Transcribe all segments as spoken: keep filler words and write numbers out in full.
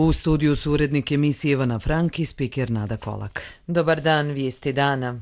U studiju su urednik emisije Ivana Frank i spiker Nada Kolak. Dobar dan, vijesti dana.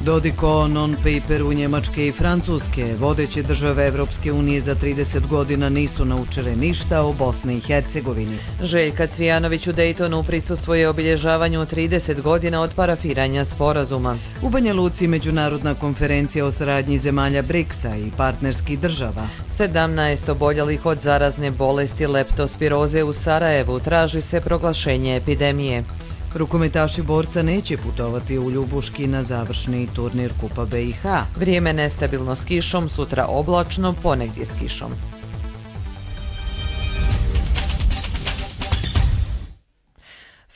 Dodik o non-paperu Njemačke i Francuske. Vodeće države Evropske unije za trideset godina nisu naučile ništa o Bosni i Hercegovini. Željka Cvijanović u Daytonu prisustvuje obilježavanju trideset godina od parafiranja sporazuma. U Banja Luci međunarodna konferencija o saradnji zemalja briksa i partnerskih država. sedamnaest oboljelih od zarazne bolesti leptospiroze u Sarajevu, traži se proglašenje epidemije. Rukometaši borca neće putovati u Ljubuški na završni turnir Kupa B i H. Vrijeme nestabilno s kišom, sutra oblačno, ponegdje s kišom.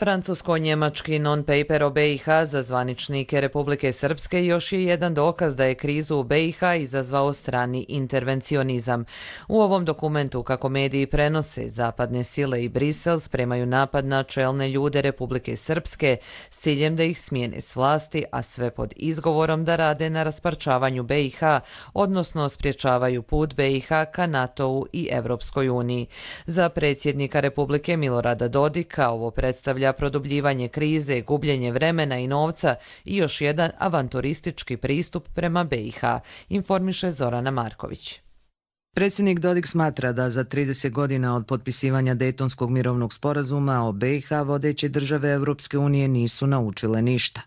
Francusko-njemački non-paper o B i H za zvaničnike Republike Srpske još je jedan dokaz da je krizu u B i H izazvao strani intervencionizam. U ovom dokumentu, kako mediji prenose, zapadne sile i Brisel spremaju napad na čelne ljude Republike Srpske s ciljem da ih smijene s vlasti, a sve pod izgovorom da rade na rasparčavanju B i H, odnosno spriječavaju put B i H ka NATO-u i Evropskoj uniji. Za predsjednika Republike Milorada Dodika ovo predstavlja produbljivanje krize, gubljenje vremena i novca i još jedan avanturistički pristup prema B i H, informiše Zorana Marković. Predsjednik Dodik smatra da za trideset godina od potpisivanja Dejtonskog mirovnog sporazuma o B i H vodeće države Evropske unije nisu naučile ništa.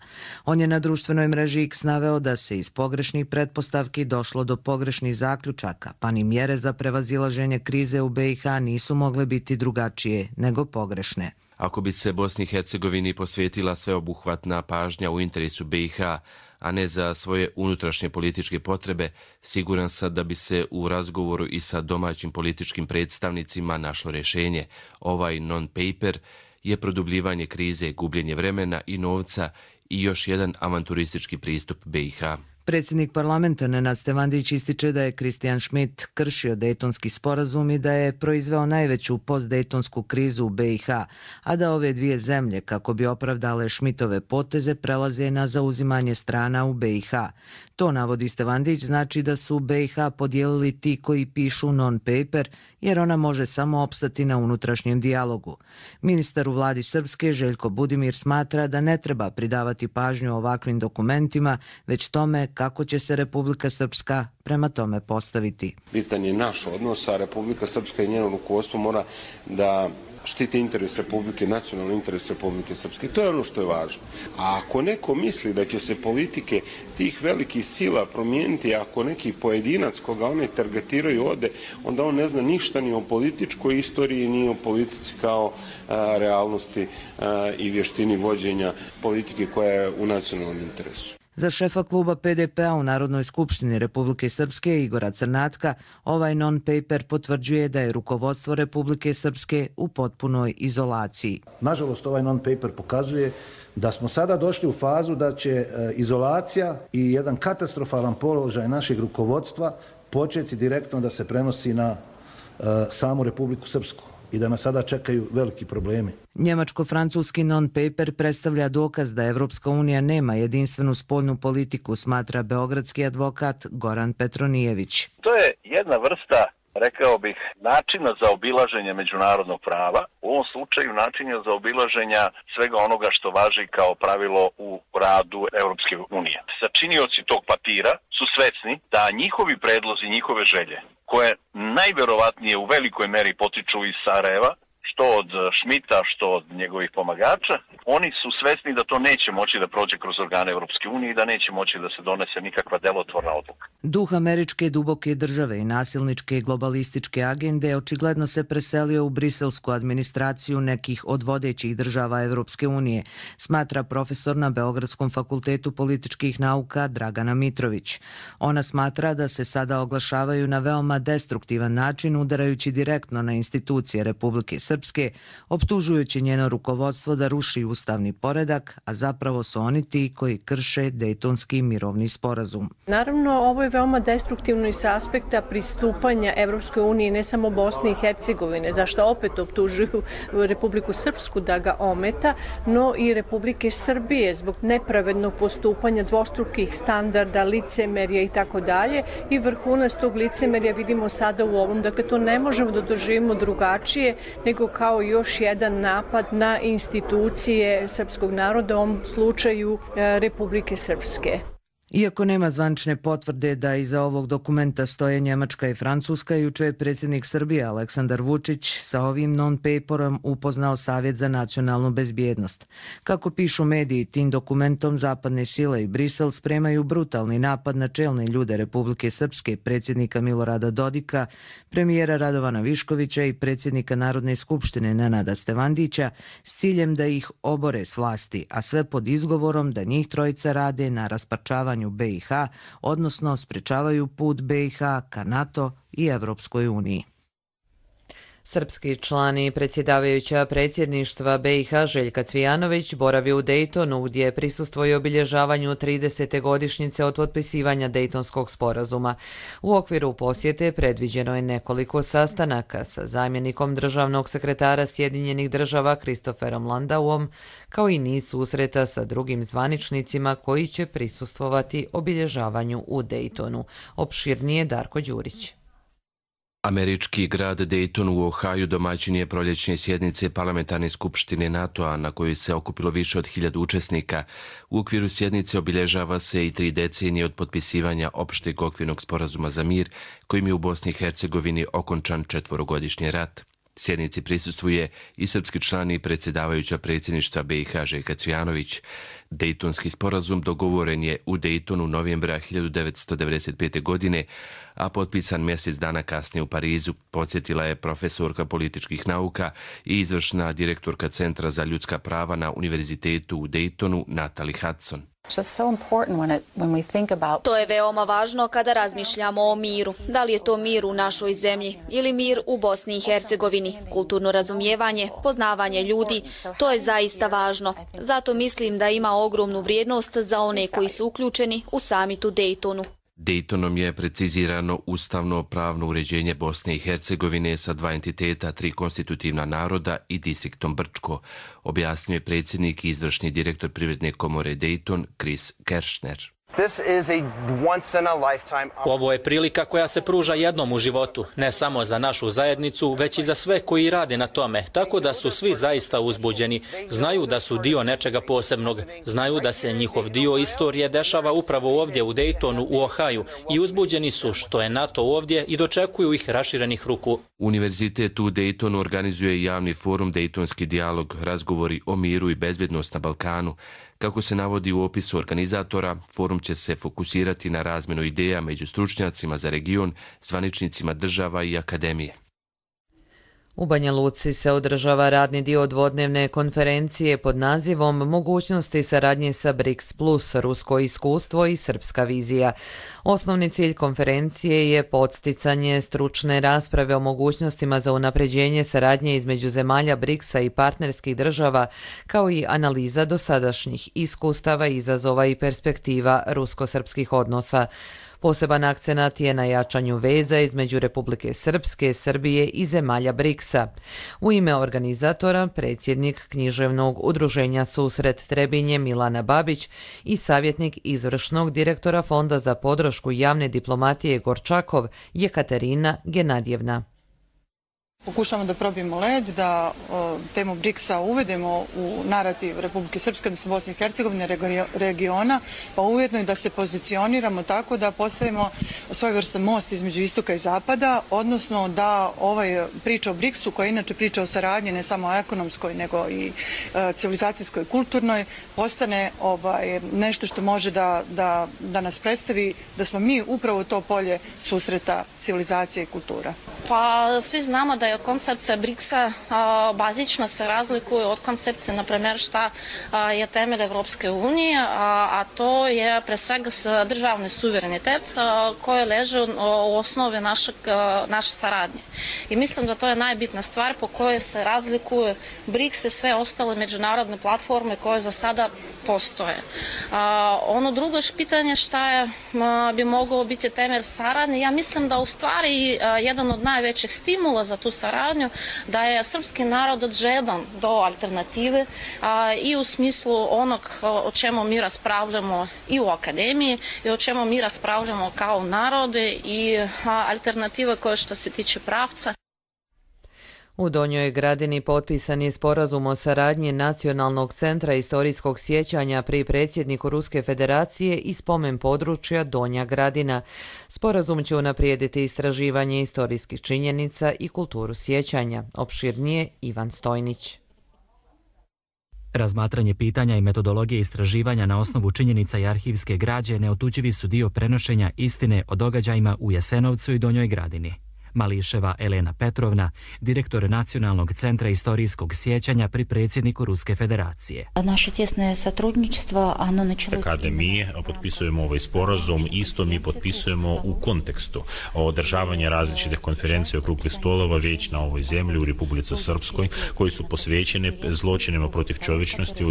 On je na društvenoj mreži X naveo da se iz pogrešnih pretpostavki došlo do pogrešnih zaključaka, pa ni mjere za prevazilaženje krize u B i H nisu mogle biti drugačije nego pogrešne. Ako bi se Bosni i Hercegovini posvetila sveobuhvatna pažnja u interesu B i H, a ne za svoje unutrašnje političke potrebe, siguran sam da bi se u razgovoru i sa domaćim političkim predstavnicima našlo rješenje. Ovaj non-paper je produbljivanje krize, gubljenje vremena i novca i još jedan avanturistički pristup B i H. Predsjednik parlamenta Nenad Stevandić ističe da je Christian Schmidt kršio Dejtonski sporazum i da je proizveo najveću postdejtonsku krizu u B i H, a da ove dvije zemlje, kako bi opravdale Schmidtove poteze, prelaze na zauzimanje strana u B i H. To, navodi Stevandić, znači da su B i H podijelili ti koji pišu non-paper, jer ona može samo opstati na unutrašnjem dijalogu. Ministar u vladi Srpske, Željko Budimir, smatra da ne treba pridavati pažnju ovakvim dokumentima, već tome kako će se Republika Srpska prema tome postaviti. Bitan je naš odnos, a Republika Srpska i njeno rukovodstvo mora da štiti interes Republike, nacionalni interes Republike Srpske. To je ono što je važno. A ako neko misli da će se politike tih velikih sila promijeniti, ako neki pojedinac koga one targetiraju ode, onda on ne zna ništa ni o političkoj istoriji, ni o politici kao a, realnosti a, i vještini vođenja politike koja je u nacionalnom interesu. Za šefa kluba P D P-a u Narodnoj skupštini Republike Srpske Igora Crnatka, ovaj non-paper potvrđuje da je rukovodstvo Republike Srpske u potpunoj izolaciji. Nažalost, ovaj non-paper pokazuje da smo sada došli u fazu da će izolacija i jedan katastrofalan položaj našeg rukovodstva početi direktno da se prenosi na samu Republiku Srpsku i da nas sada čekaju veliki problemi. Njemačko-francuski non-paper predstavlja dokaz da Evropska unija nema jedinstvenu spoljnu politiku, smatra beogradski advokat Goran Petronijević. To je jedna vrsta, rekao bih, načina za obilaženje međunarodnog prava, u ovom slučaju načina za obilaženja svega onoga što važi kao pravilo u radu Evropske unije. Sačinioci tog papira su svesni da njihovi predlozi, njihove želje, koje najverovatnije u velikoj meri potiču iz Sarajeva, što od Schmidta, što od njegovih pomagača, oni su svesni da to neće moći da prođe kroz organe Evropske unije i da neće moći da se donese nikakva delotvorna odluka. Duh američke duboke države i nasilničke globalističke agende očigledno se preselio u briselsku administraciju nekih od vodećih država Evropske unije, smatra profesor na Beogradskom fakultetu političkih nauka Dragana Mitrović. Ona smatra da se sada oglašavaju na veoma destruktivan način, udarajući direktno na institucije Republike Srpske Srpske, optužujući njeno rukovodstvo da ruši ustavni poredak, a zapravo su oni ti koji krše Dejtonski mirovni sporazum. Naravno, ovo je veoma destruktivno i sa aspekta pristupanja Evropskoj uniji, ne samo Bosne i Hercegovine, zašto opet optužuju Republiku Srpsku da ga ometa, no i Republike Srbije zbog nepravednog postupanja, dvostrukih standarda, licemerja i tako dalje. I vrhunac tog licemerja vidimo sada u ovom. Dakle, to ne možemo da doživimo drugačije nego kao još jedan napad na institucije srpskog naroda, u ovom slučaju Republike Srpske. Iako nema zvanične potvrde da iza ovog dokumenta stoje Njemačka i Francuska, juče je predsjednik Srbije Aleksandar Vučić sa ovim non-paperom upoznao Savjet za nacionalnu bezbjednost. Kako pišu mediji, tim dokumentom zapadne sile i Brisel spremaju brutalni napad na čelne ljude Republike Srpske, predsjednika Milorada Dodika, premijera Radovana Viškovića i predsjednika Narodne skupštine Nenada Stevandića s ciljem da ih obore s vlasti, a sve pod izgovorom da njih trojica rade na rasparčavanju B i H, odnosno sprečavaju put B i H ka NATO i Evropskoj uniji. Srpski član i predsjedavajuća predsjedništva B i H Željka Cvijanović boravi u Dejtonu, gdje prisustvuje obilježavanju tridesete godišnjice od potpisivanja Dejtonskog sporazuma. U okviru posjete predviđeno je nekoliko sastanaka sa zamjenikom državnog sekretara Sjedinjenih država Kristoferom Landauom, kao i niz susreta sa drugim zvaničnicima koji će prisustvovati obilježavanju u Dejtonu. Opširnije Darko Đurić. Američki grad Dayton u Ohaju domaćin je proljećne sjednice parlamentarne skupštine NATO-a na kojoj se okupilo više od hiljadu učesnika. U okviru sjednice obilježava se i tri decenije od potpisivanja opšteg okvirnog sporazuma za mir, kojim je u Bosni i Hercegovini okončan četvorogodišnji rat. Sjednici prisustvuje i srpski član i predsjedavajuća predsjedništva B i H Željka Cvijanović. Dejtonski sporazum dogovoren je u Dejtonu novembra hiljadu devetsto devedeset pete. godine, a potpisan mjesec dana kasnije u Parizu, podsjetila je profesorka političkih nauka i izvršna direktorka Centra za ljudska prava na Univerzitetu u Dejtonu Natalie Hudson. To je veoma važno kada razmišljamo o miru. Da li je to mir u našoj zemlji ili mir u Bosni i Hercegovini? Kulturno razumijevanje, poznavanje ljudi, to je zaista važno. Zato mislim da ima ogromnu vrijednost za one koji su uključeni u samitu Dejtonu. Dejtonom je precizirano ustavno pravno uređenje Bosne i Hercegovine sa dva entiteta, tri konstitutivna naroda i distriktom Brčko, objasnio je predsjednik i izvršni direktor Privredne komore Dejton, Chris Kershner. Ovo je prilika koja se pruža jednom u životu, ne samo za našu zajednicu, već i za sve koji rade na tome, tako da su svi zaista uzbuđeni. Znaju da su dio nečega posebnog, znaju da se njihov dio istorije dešava upravo ovdje u Dejtonu u Ohaju i uzbuđeni su što je NATO ovdje i dočekuju ih raširenih ruku. Univerzitet u Dejtonu organizuje javni forum Dejtonski dijalog, razgovori o miru i bezbjednost na Balkanu. Kako se navodi u opisu organizatora, forum će se fokusirati na razmjenu ideja među stručnjacima za region, zvaničnicima država i akademije. U Banja Luci se održava radni dio dvodnevne konferencije pod nazivom Mogućnosti saradnje sa BRICS plus, rusko iskustvo i srpska vizija. Osnovni cilj konferencije je podsticanje stručne rasprave o mogućnostima za unapređenje saradnje između zemalja BRICS-a i partnerskih država, kao i analiza dosadašnjih iskustava, izazova i perspektiva rusko-srpskih odnosa. Poseban akcenat je na jačanju veza između Republike Srpske, Srbije i zemalja BRICS-a. U ime organizatora, predsjednik književnog udruženja Susret Trebinje Milana Babić i savjetnik izvršnog direktora Fonda za podršku javne diplomatije Gorčakov Jekaterina Genadjevna. Pokušamo da probijemo led, da o, temu BRICS-a uvedemo u narativ Republike Srpske, odnosno Bosne i Hercegovine, regiona, pa ujedno i da se pozicioniramo tako da postavimo svojevrstan most između istoka i zapada, odnosno da ovaj priča o BRICS-u, koja je inače priča o saradnji ne samo ekonomskoj, nego i e, civilizacijskoj, kulturnoj, postane ovaj, nešto što može da, da, da nas predstavi da smo mi upravo to polje susreta civilizacije i kultura. Pa svi znamo da je je koncepcija briksa bazično se razlikuje od koncepcije, na primjer, šta je temelj Evropske unije, a to je pre svega državni suverenitet koji leže u osnovi našeg, naše saradnje. I mislim da to je najbitna stvar po kojoj se razlikuju briks i sve ostale međunarodne platforme koje za sada postoje. Ono drugo pitanje šta je, bi moglo biti temelj saradnje, ja mislim da u stvari jedan od najvećih stimula za tu saradnju da je srpski narod odžedan do alternative i u smislu onog o čemu mi raspravljamo i u akademiji i o čemu mi raspravljamo kao narode i alternative koje što se tiče pravca. U Donjoj Gradini potpisan je sporazum o saradnji Nacionalnog centra istorijskog sjećanja pri predsjedniku Ruske federacije i spomen područja Donja Gradina. Sporazum će unaprijediti istraživanje istorijskih činjenica i kulturu sjećanja. Opširnije Ivan Stojnić. Razmatranje pitanja i metodologije istraživanja na osnovu činjenica i arhivske građe neotuđivi su dio prenošenja istine o događajima u Jasenovcu i Donjoj Gradini. Mališeva Elena Petrovna, direktor Nacionalnog centra istorijskog sjećanja pri predsjedniku Ruske federacije. Naše tjesne satrudničstvo, ono načelo... Kada mi potpisujemo ovaj sporazum, isto mi potpisujemo u kontekstu održavanja različitih konferencija i okruglih stolova već na ovoj zemlji u Republici Srpskoj, koji su posvećene zločinima protiv čovječnosti,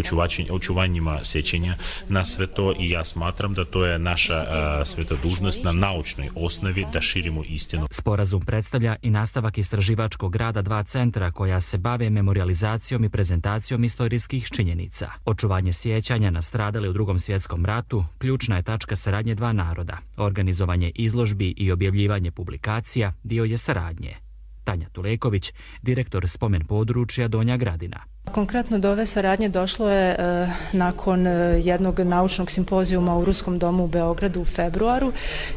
očuvanjima sjećanja na sve to, i ja smatram da to je naša a, sveta dužnost na naučnoj osnovi da širimo istinu. Sporazum predstavlja i nastavak istraživačkog rada dva centra koja se bave memorializacijom i prezentacijom istorijskih činjenica. Očuvanje sjećanja na stradale u Drugom svjetskom ratu ključna je tačka saradnje dva naroda. Organizovanje izložbi i objavljivanje publikacija dio je saradnje. Tanja Tuleković, direktor spomen područja Donja Gradina. Konkretno do ove saradnje došlo je e, nakon jednog naučnog simpozijuma u Ruskom domu u Beogradu u februaru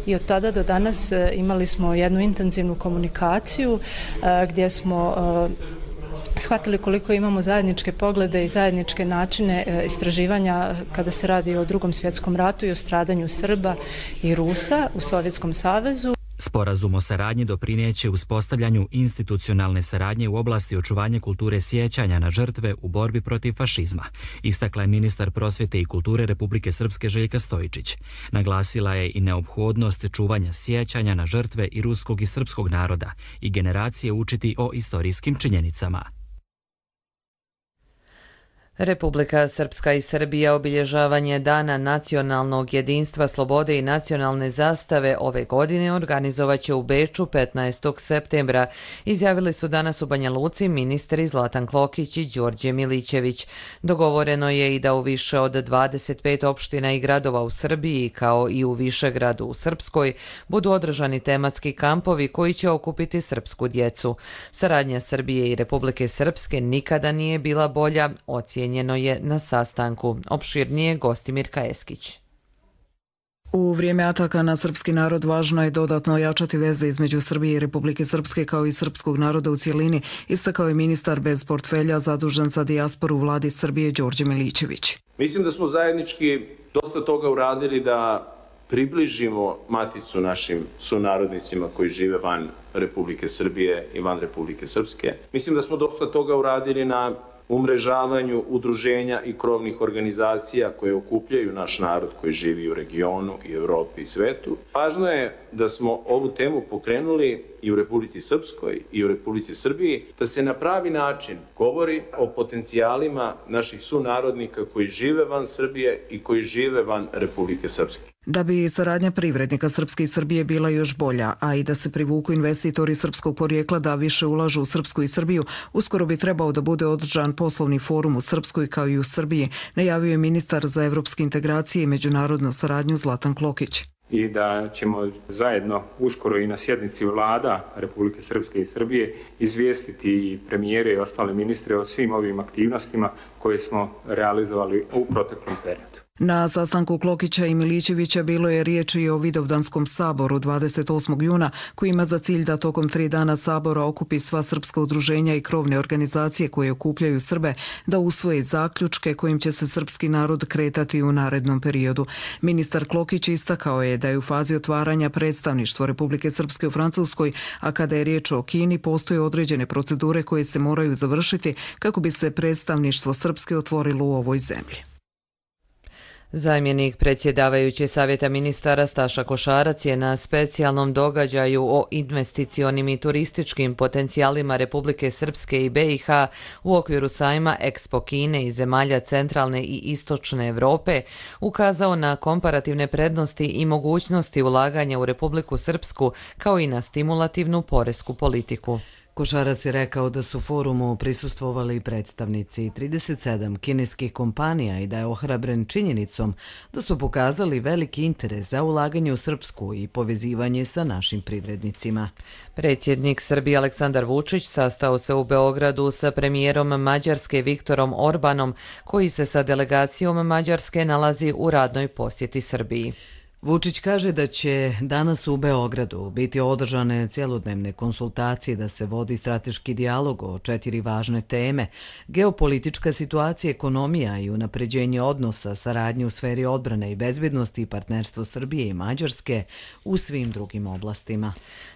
i od tada do danas e, imali smo jednu intenzivnu komunikaciju e, gdje smo e, shvatili koliko imamo zajedničke poglede i zajedničke načine e, istraživanja kada se radi o Drugom svjetskom ratu i o stradanju Srba i Rusa u Sovjetskom savezu. Sporazum o saradnji doprineće uspostavljanju institucionalne saradnje u oblasti očuvanja kulture sjećanja na žrtve u borbi protiv fašizma, istakla je ministar prosvjete i kulture Republike Srpske Željka Stojičić. Naglasila je i neophodnost čuvanja sjećanja na žrtve i ruskog i srpskog naroda i generacije učiti o istorijskim činjenicama. Republika Srpska i Srbija obilježavanje Dana nacionalnog jedinstva, slobode i nacionalne zastave ove godine organizovaće u Beču petnaestog septembra, izjavili su danas u Banja Luci ministri Zlatan Klokić i Đorđe Milićević. Dogovoreno je i da u više od dvadeset pet opština i gradova u Srbiji, kao i u Višegradu u Srpskoj, budu održani tematski kampovi koji će okupiti srpsku djecu. Saradnja Srbije i Republike Srpske nikada nije bila bolja, ocijenjeno je na sastanku. Opširnije Gostimir Kajeskić. U vrijeme ataka na srpski narod važno je dodatno ojačati veze između Srbije i Republike Srpske kao i srpskog naroda u cijelini, istakao je ministar bez portfelja zadužen za dijasporu vladi Srbije Đorđe Milićević. Mislim da smo zajednički dosta toga uradili da približimo maticu našim sunarodnicima koji žive van Republike Srbije i van Republike Srpske. Mislim da smo dosta toga uradili na umrežavanju udruženja i krovnih organizacija koje okupljaju naš narod koji živi u regionu i Evropi i svetu. Važno je da smo ovu temu pokrenuli i u Republici Srpskoj i u Republici Srbiji, da se na pravi način govori o potencijalima naših sunarodnika koji žive van Srbije i koji žive van Republike Srpske. Da bi saradnja privrednika Srpske i Srbije bila još bolja, a i da se privuku investitori srpskog porijekla da više ulažu u Srpsku i Srbiju, uskoro bi trebao da bude održan poslovni forum u Srpskoj kao i u Srbiji, najavio je ministar za evropske integracije i međunarodnu saradnju Zlatan Klokić. I da ćemo zajedno uskoro i na sjednici vlada Republike Srpske i Srbije izvijestiti i premijere i ostale ministre o svim ovim aktivnostima koje smo realizovali u proteklom periodu. Na sastanku Klokića i Milićevića bilo je riječi i o Vidovdanskom saboru dvadeset osmog juna, koji ima za cilj da tokom tri dana sabora okupi sva srpska udruženja i krovne organizacije koje okupljaju Srbe, da usvoje zaključke kojim će se srpski narod kretati u narednom periodu. Ministar Klokić istakao je da je u fazi otvaranja predstavništva Republike Srpske u Francuskoj, a kada je riječ o Kini, postoje određene procedure koje se moraju završiti kako bi se predstavništvo Srpske otvorilo u ovoj zemlji. Zamjenik predsjedavajuće Savjeta ministara Staša Košarac je na specijalnom događaju o investicionim i turističkim potencijalima Republike Srpske i B i H u okviru sajma Expo Kine i zemalja centralne i istočne Evrope ukazao na komparativne prednosti i mogućnosti ulaganja u Republiku Srpsku kao i na stimulativnu poresku politiku. Košarac je rekao da su forumu prisustvovali predstavnici trideset sedam kineskih kompanija i da je ohrabren činjenicom da su pokazali veliki interes za ulaganje u Srpsku i povezivanje sa našim privrednicima. Predsjednik Srbije Aleksandar Vučić sastao se u Beogradu sa premijerom Mađarske Viktorom Orbanom, koji se sa delegacijom Mađarske nalazi u radnoj posjeti Srbiji. Vučić kaže da će danas u Beogradu biti održane cjelodnevne konsultacije da se vodi strateški dijalog o četiri važne teme: geopolitička situacija, ekonomija i unapređenje odnosa, saradnje u sferi odbrane i bezbednosti i partnerstvo Srbije i Mađarske u svim drugim oblastima.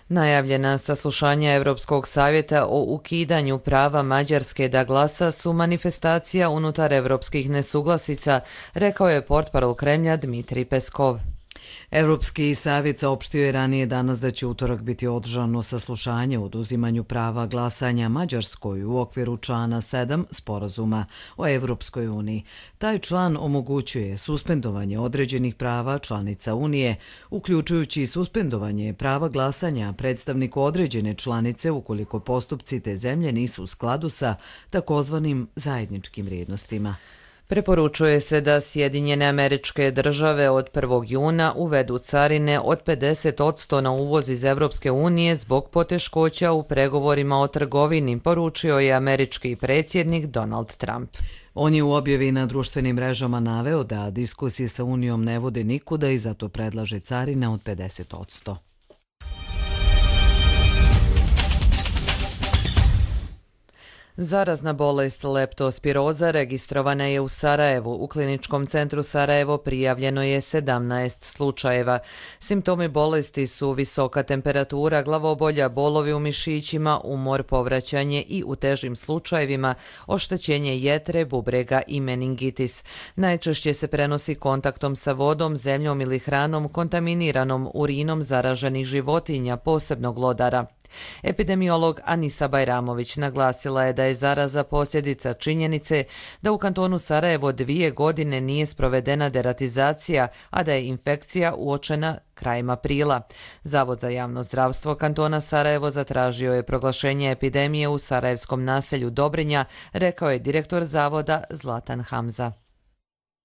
Najavljena saslušanja Evropskog savjeta o ukidanju prava Mađarske da glasa su manifestacija unutar evropskih nesuglasica, rekao je portparol Kremlja Dmitrij Peskov. Evropski savjet saopštio je ranije danas da će utorak biti održano saslušanje o oduzimanju prava glasanja Mađarskoj u okviru člana sedam sporazuma o Evropskoj uniji. Taj član omogućuje suspendovanje određenih prava članica Unije, uključujući suspendovanje prava glasanja predstavniku određene članice ukoliko postupci te zemlje nisu u skladu sa takozvanim zajedničkim vrijednostima. Preporučuje se da Sjedinjene Američke Države od prvog juna uvedu carine od pedeset posto na uvoz iz Evropske unije zbog poteškoća u pregovorima o trgovini, poručio je američki predsjednik Donald Trump. On je u objavi na društvenim mrežama naveo da diskusije sa Unijom ne vode nikuda i zato predlaže carine od pedeset posto. Zarazna bolest leptospiroza registrovana je u Sarajevu. U kliničkom centru Sarajevo prijavljeno je sedamnaest slučajeva. Simptomi bolesti su visoka temperatura, glavobolja, bolovi u mišićima, umor, povraćanje i u težim slučajevima oštećenje jetre, bubrega i meningitis. Najčešće se prenosi kontaktom sa vodom, zemljom ili hranom kontaminiranom urinom zaraženih životinja, posebno glodara. Epidemiolog Anisa Bajramović naglasila je da je zaraza posljedica činjenice da u kantonu Sarajevo dvije godine nije sprovedena deratizacija, a da je infekcija uočena krajem aprila. Zavod za javno zdravstvo kantona Sarajevo zatražio je proglašenje epidemije u sarajevskom naselju Dobrinja, rekao je direktor zavoda Zlatan Hamza.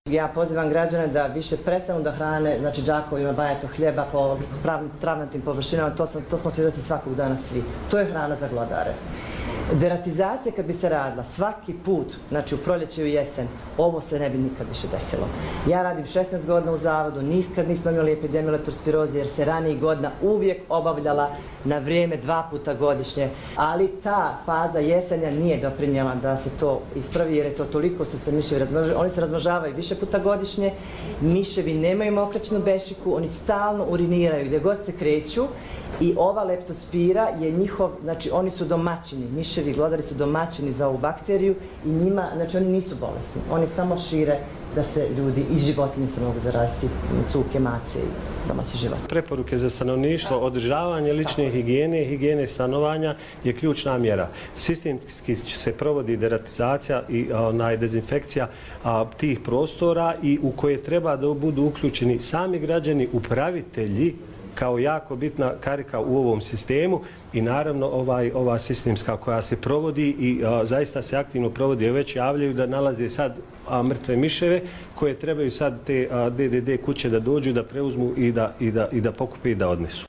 Ja pozivam građane da više prestanu da hrane, znači džakovima, bajato hljeba po travnatim površinama, to, sam, to smo svjedoci svakog dana svi. To je hrana za glodare. Deratizacija kad bi se radila svaki put, znači u proljeće i u jesen, ovo se ne bi nikad više desilo. Ja radim šesnaest godina u zavodu, nikad nismo imali epidemiju leptospiroze jer se ranijih godina uvijek obavljala na vrijeme dva puta godišnje, ali ta faza jesenja nije doprinjela da se to ispravi jer je to toliko su se miševi razmnožili. Oni se razmnožavaju više puta godišnje, miševi nemaju mokraćnu bešiku, oni stalno uriniraju gdje god se kreću i ova leptospira je njihov, znači oni su domaćini, miševi glodari su domaćini za ovu bakteriju i njima, znači oni nisu bolesni, oni samo šire da se ljudi i životinje se mogu zaraziti, cuke, mace i domaći život. Preporuke za stanovništvo, održavanje lične higijene, higijene stanovanja je ključna mjera. Sistemski se provodi deratizacija i onaj, dezinfekcija a, tih prostora i u koje treba da budu uključeni sami građani, upravitelji, kao jako bitna karika u ovom sistemu i naravno ovaj, ova sistemska koja se provodi i a, zaista se aktivno provodi, već javljaju da nalaze sad a, mrtve miševe koje trebaju sad te a, D D D kuće da dođu, da preuzmu i da, i da, i da pokupe i da odnesu.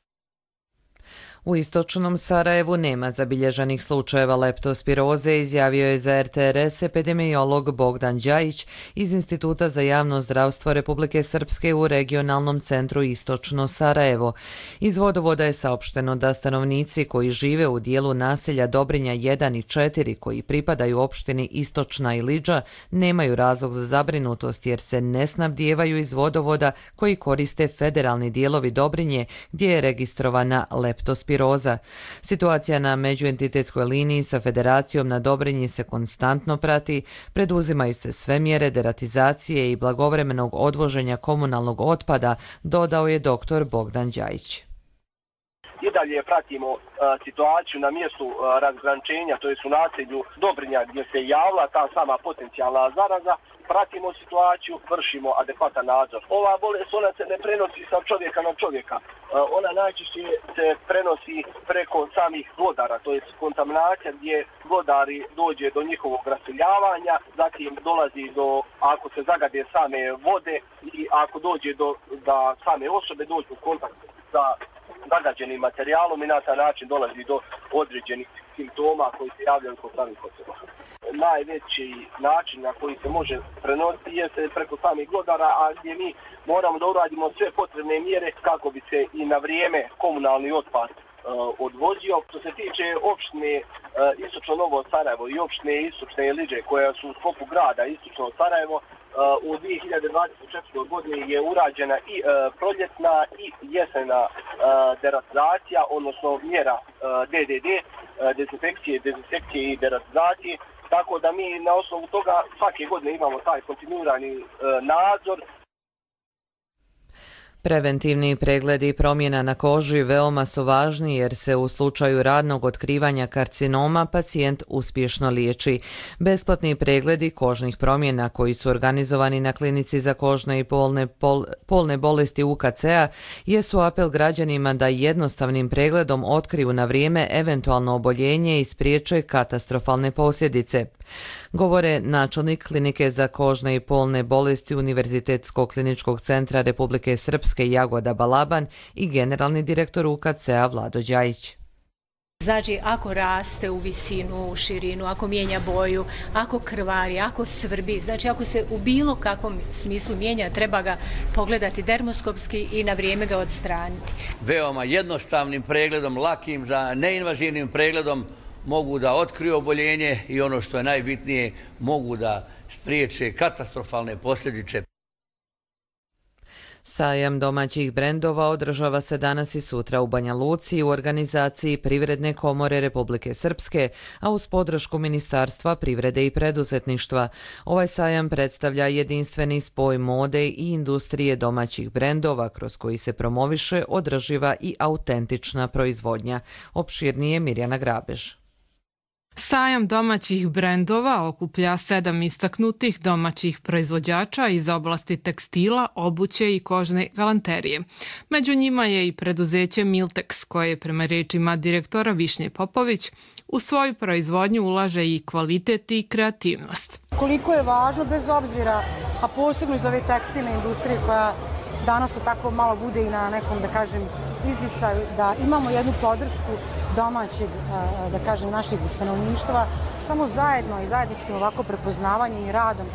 U istočnom Sarajevu nema zabilježenih slučajeva leptospiroze, izjavio je za er te er es epidemiolog Bogdan Đajić iz Instituta za javno zdravstvo Republike Srpske u regionalnom centru Istočno Sarajevo. Iz vodovoda je saopšteno da stanovnici koji žive u dijelu naselja Dobrinja jedan i četiri koji pripadaju opštini Istočna i Lidža nemaju razlog za zabrinutost jer se ne snabdijevaju iz vodovoda koji koriste federalni dijelovi Dobrinje gdje je registrovana leptospiroza. Situacija na međuentitetskoj liniji sa federacijom na Dobrinji se konstantno prati, preduzimaju se sve mjere deratizacije i blagovremenog odvoženja komunalnog otpada, dodao je doktor Bogdan Đajić. I dalje pratimo uh, situaciju na mjestu uh, razgraničenja, to je u naselju Dobrinja gdje se javila ta sama potencijalna zaraza. Pratimo situaciju, vršimo adekvatan nadzor. Ova bolest, ona se ne prenosi sa čovjeka na čovjeka. Uh, ona najčešće se prenosi preko samih vodara, to je kontaminacija gdje vodari dođe do njihovog raseljavanja, zatim dolazi do, ako se zagade same vode i ako dođe do, da same osobe dođu u kontakt sa zagađenim materijalom i na taj način dolazi do određenih simptoma koji se javljaju kod samih osoba. Najveći način na koji se može prenositi jeste preko samih vodara, a gdje mi moramo da uradimo sve potrebne mjere kako bi se i na vrijeme komunalni otpad uh, odvozio. Što se tiče opštine uh, Istočno Novo Sarajevo i opštine Istočne Lidže koja su u sklopu grada Istočno Sarajevo, u dvije hiljade dvadeset četvrtoj godini je urađena i uh, proljetna i jesena uh, deratizacija, odnosno mjera uh, de de de, uh, dezinfekcije, dezinsekcije i deratizacije. Tako da mi na osnovu toga svake godine imamo taj kontinuirani uh, nadzor. Preventivni pregledi promjena na koži veoma su važni jer se u slučaju radnog otkrivanja karcinoma pacijent uspješno liječi. Besplatni pregledi kožnih promjena koji su organizovani na klinici za kožne i polne, pol, polne bolesti U K C-a jesu apel građanima da jednostavnim pregledom otkriju na vrijeme eventualno oboljenje i spriječe katastrofalne posljedice. Govore načelnik klinike za kožne i polne bolesti Univerzitetskog kliničkog centra Republike Srpske Jagoda Balaban i generalni direktor U K C-a Vlado Đajić. Znači, ako raste u visinu, u širinu, ako mijenja boju, ako krvari, ako svrbi, znači ako se u bilo kakvom smislu mijenja, treba ga pogledati dermoskopski i na vrijeme ga odstraniti. Veoma jednostavnim pregledom, lakim, za neinvazivnim pregledom mogu da otkriju oboljenje i ono što je najbitnije, mogu da spriječe katastrofalne posljedice. Sajam domaćih brendova održava se danas i sutra u Banja Luci u organizaciji Privredne komore Republike Srpske, a uz podršku Ministarstva privrede i preduzetništva. Ovaj sajam predstavlja jedinstveni spoj mode i industrije domaćih brendova kroz koji se promoviše održiva i autentična proizvodnja. Opširnije Mirjana Grabež. Sajam domaćih brendova okuplja sedam istaknutih domaćih proizvođača iz oblasti tekstila, obuće i kožne galanterije. Među njima je i preduzeće Miltex, koje prema rečima direktora Višnje Popović u svoju proizvodnju ulaže i kvalitet i kreativnost. Koliko je važno, bez obzira, a posebno iz ove tekstilne industrije koja danas tako malo bude i na nekom, da kažem, izdisaju, da imamo jednu podršku domaćeg, da kažem, našeg stanovništva, samo zajedno i zajedničkim ovako prepoznavanjem i radom,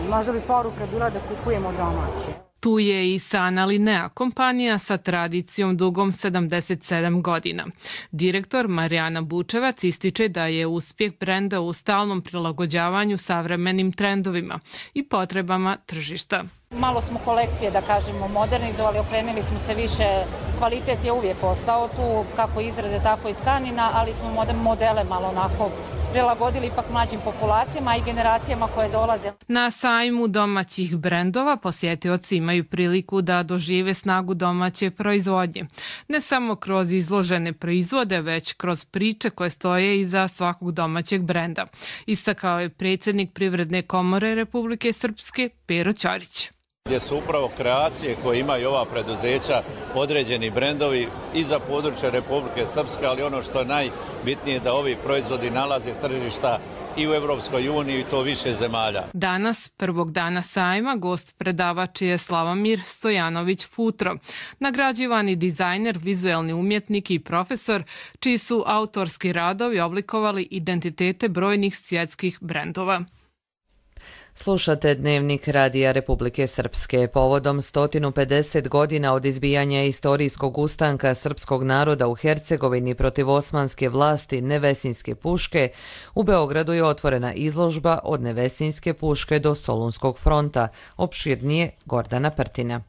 možda bi poruka bila da kupujemo domaće. Tu je i Sana Linea, kompanija sa tradicijom dugom sedamdeset sedam godina. Direktor Marijana Bučevac ističe da je uspjeh brenda u stalnom prilagođavanju savremenim trendovima i potrebama tržišta. Malo smo kolekcije, da kažemo, modernizovali, okrenuli smo se više, kvalitet je uvijek ostao tu, kako izrade, tako i tkanina, ali smo modele malo onako prilagodili ipak mlađim populacijama i generacijama koje dolaze. Na sajmu domaćih brendova posjetioci imaju priliku da dožive snagu domaće proizvodnje. Ne samo kroz izložene proizvode, već kroz priče koje stoje iza svakog domaćeg brenda. Istakao je predsjednik Privredne komore Republike Srpske Pero Ćorić. Gdje su upravo kreacije koje imaju ova preduzeća određeni brendovi i za područje Republike Srpske, ali ono što je najbitnije da ovi proizvodi nalaze tržišta i u Evropskoj uniji i to više zemalja. Danas, prvog dana sajma, gost predavač je Slavomir Stojanović Futro, nagrađivani dizajner, vizuelni umjetnik i profesor, čiji su autorski radovi oblikovali identitete brojnih svjetskih brendova. Slušate Dnevnik Radija Republike Srpske. Povodom sto pedeset godina od izbijanja istorijskog ustanka srpskog naroda u Hercegovini protiv osmanske vlasti Nevesinjske puške, u Beogradu je otvorena izložba Od Nevesinjske puške do Solunskog fronta, opširnije Gordana Prtina.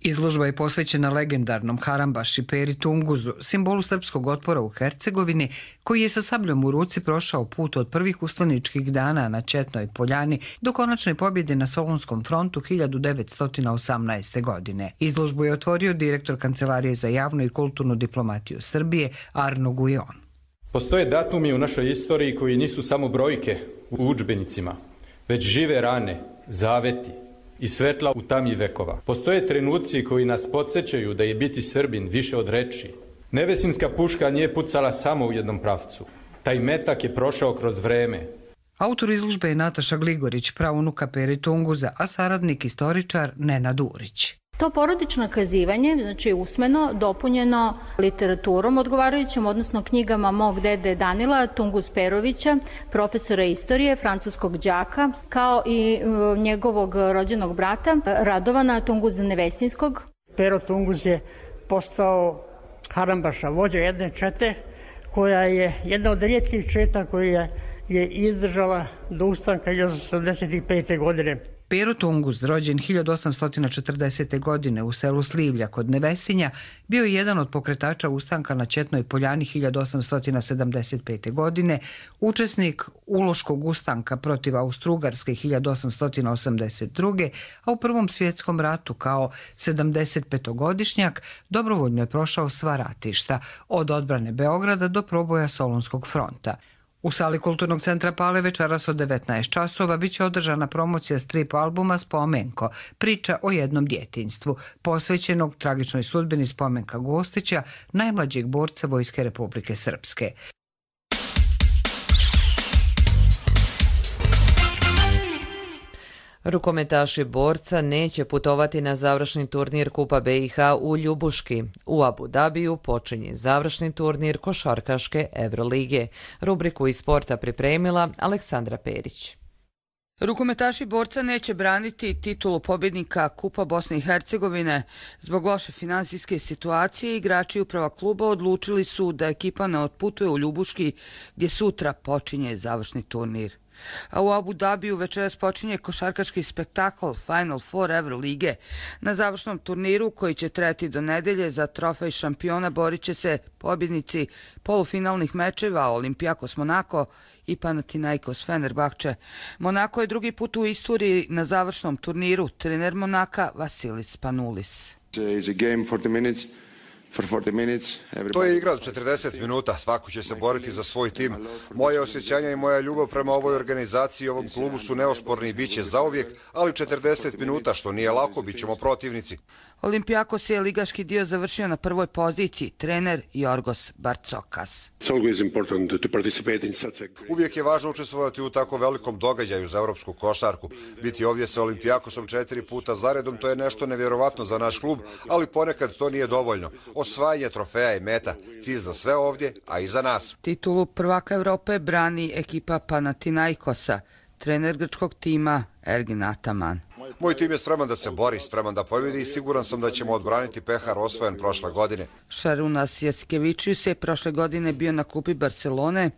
Izložba je posvećena legendarnom Harambaši Peri Tunguzu, simbolu srpskog otpora u Hercegovini, koji je sa sabljom u ruci prošao put od prvih ustaničkih dana na Četnoj poljani do konačne pobjede na Solunskom frontu hiljadu devetsto osamnaeste. godine. Izložbu je otvorio direktor Kancelarije za javnu i kulturnu diplomatiju Srbije Arno Gujon. Postoje datumi u našoj istoriji koji nisu samo brojke u udžbenicima, već žive rane, zaveti i svetla u tami vekova. Postoje trenuci koji nas podsjećaju da je biti Srbin više od reči. Nevesinjska puška nije pucala samo u jednom pravcu. Taj metak je prošao kroz vreme. Autor izložbe je Nataša Gligorić, praunuka Peri Tunguza, a saradnik istoričar Nenad Urić. To porodično kazivanje, znači usmeno, dopunjeno literaturom odgovarajućom, odnosno knjigama mog dede Danila Tunguz Perovića, profesora istorije, francuskog đaka, kao i njegovog rođenog brata Radovana Tunguza Nevesinjskog. Pero Tunguz je postao Harambaša, vođa jedne čete koja je jedna od rijetkih četa koja je izdržala do ustanka hiljadu osamsto sedamdeset pete. godine. Pero Tunguz, rođen hiljadu osamsto četrdesete. godine u selu Slivlja kod Nevesinja, bio je jedan od pokretača ustanka na Četnoj poljani hiljadu osamsto sedamdeset pete. godine, učesnik Uloškog ustanka protiv Austro-Ugarske hiljadu osamsto osamdeset druge. a u Prvom svjetskom ratu kao sedamdesetpetogodišnjak dobrovoljno je prošao sva ratišta, od odbrane Beograda do proboja Solunskog fronta. U sali Kulturnog centra Pale večeras od devetnaest časova biće održana promocija strip albuma Spomenko, priča o jednom djetinjstvu, posvećenog tragičnoj sudbini Spomenka Gostića, najmlađeg borca Vojske Republike Srpske. Rukometaši borca neće putovati na završni turnir Kupa B i H u Ljubuški. U Abu Dabiju počinje završni turnir košarkaške Evrolige. Rubriku iz sporta pripremila Aleksandra Perić. Rukometaši borca neće braniti titulu pobjednika Kupa Bosne i Hercegovine. Zbog loše finansijske situacije, igrači uprava kluba odlučili su da ekipa ne otputuje u Ljubuški, gdje sutra počinje završni turnir. A u Abu Dabiju večeras počinje košarkaški spektakl Final Four Evrolige. Na završnom turniru, koji će trajati do nedelje, za trofej šampiona borit će se pobjednici polufinalnih mečeva Olympiakos Monako i Panathinaikos Fenerbahče. Monako je drugi put u istoriji na završnom turniru. Trener Monaka Vasilis Panulis. To je igra od četrdeset minuta, svako će se boriti za svoj tim. Moje osjećanja i moja ljubav prema ovoj organizaciji i ovom klubu su neosporni i bit će zauvijek, ali četrdeset minuta, što nije lako, bit ćemo protivnici. Olympiakos je ligaški dio završio na prvoj poziciji, trener Jorgos Barcokas. Uvijek je važno učestvovati u tako velikom događaju za evropsku košarku. Biti ovdje sa Olympiakosom četiri puta zaredom, to je nešto nevjerovatno za naš klub, ali ponekad to nije dovoljno. Osvajanje trofeja je meta, cilj za sve ovdje, a i za nas. Titulu prvaka Evrope brani ekipa Panathinaikosa, trener grčkog tima Ergin Ataman. Moj tim je spreman da se bori, spreman da pobjedi i siguran sam da ćemo odbraniti pehar osvojen prošle godine. Šarunas Jasikevičius je prošle godine bio na klupi Barcelone,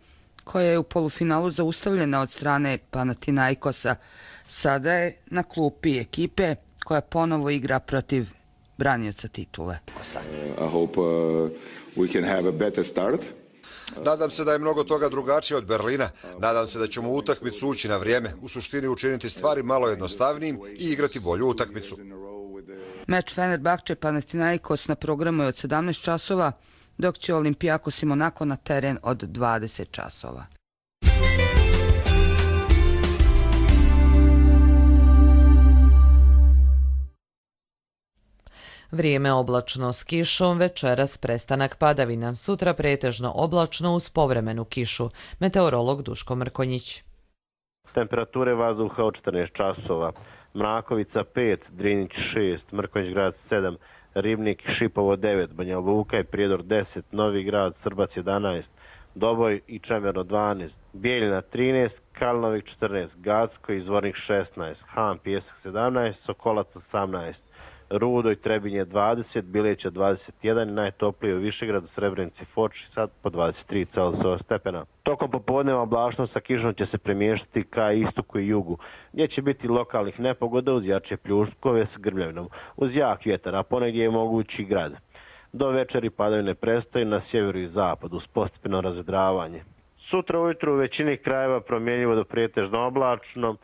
koja je u polufinalu zaustavljena od strane Panathinaikosa. Sada je na klupi ekipe koja ponovo igra protiv branioca titule. I hope uh, we can have a better start. Nadam se da je mnogo toga drugačije od Berlina. Nadam se da ćemo utakmicu ući na vrijeme, u suštini učiniti stvari malo jednostavnijim i igrati bolju utakmicu. Meč Fenerbahče Panathinaikos na programu je od sedamnaest časova, dok će Olympiakos i Monako na teren od dvadeset časova. Vrijeme oblačno s kišom, večeras prestanak padavina, sutra pretežno oblačno uz povremenu kišu. Meteorolog Duško Mrkonjić. Temperature vazduha od četrnaest časova. Mrakovica pet, Drinić šest, Mrkonjić grad sedam, Ribnik i Šipovo devet, Banja Luka i Prijedor deset, Novi grad, Srbac jedanaest, Doboj i Čemerno dvanaest, Bijeljina trinaest, Kalnovik četrnaest, Gacko i Zvornik šesnaest, Han Pijesak sedamnaest, Sokolac osamnaest, Rudo i Trebinje dvadeset, Bileća dvadeset jedan i najtoplije u Višegradu, Srebrenici, Foči sad po dvadeset tri Celzijeva stepena. Tokom popodneva oblačnost sa kišom će se premještati ka istoku i jugu, gdje će biti lokalnih nepogoda uz jače pljuskove s grmljavinom, uz jak vjetar, a ponegdje je mogući grad. Do večeri padavine prestaju na sjeveru i zapadu uz postepeno razvedravanje. Sutra ujutru u većini krajeva promjenjivo do pretežno oblačno,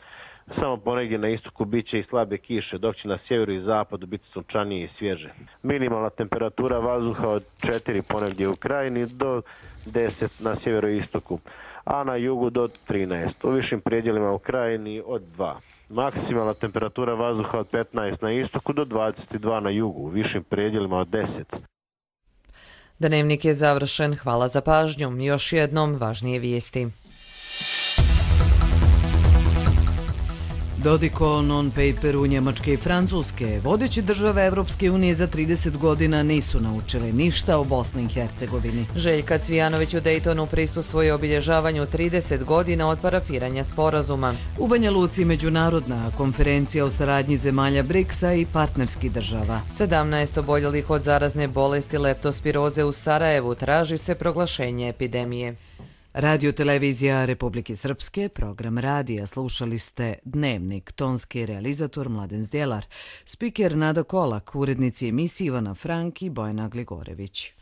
samo ponegdje na istoku bit će i slabe kiše, dok će na sjeveru i zapadu biti sunčanije i svježe. Minimalna temperatura vazduha od četiri ponegdje u krajini do deset na sjeveru i istoku, a na jugu do trinaest. U višim predjelima u krajini od dva. Maksimalna temperatura vazduha od petnaest na istoku do dvadeset dva na jugu, u višim predjelima od deset. Dnevnik je završen, hvala za pažnju. Još jednom važnije vijesti. Dodiko non-paperu Njemačke i Francuske, vodeći države Evropske unije za trideset godina nisu naučili ništa o Bosni i Hercegovini. Željka Cvijanović u Dejtonu prisustvuje obilježavanju trideset godina od parafiranja sporazuma. U Banja Luci međunarodna konferencija o saradnji zemalja briksa i partnerskih država. sedamnaest oboljelih od zarazne bolesti leptospiroze u Sarajevu, traži se proglašenje epidemije. Radio televizija Republike Srpske, program radija, slušali ste Dnevnik, tonski realizator Mladen Zdjelar, spiker Nada Kolak, urednici emisije Ivana Frank i Bojana Gligorević.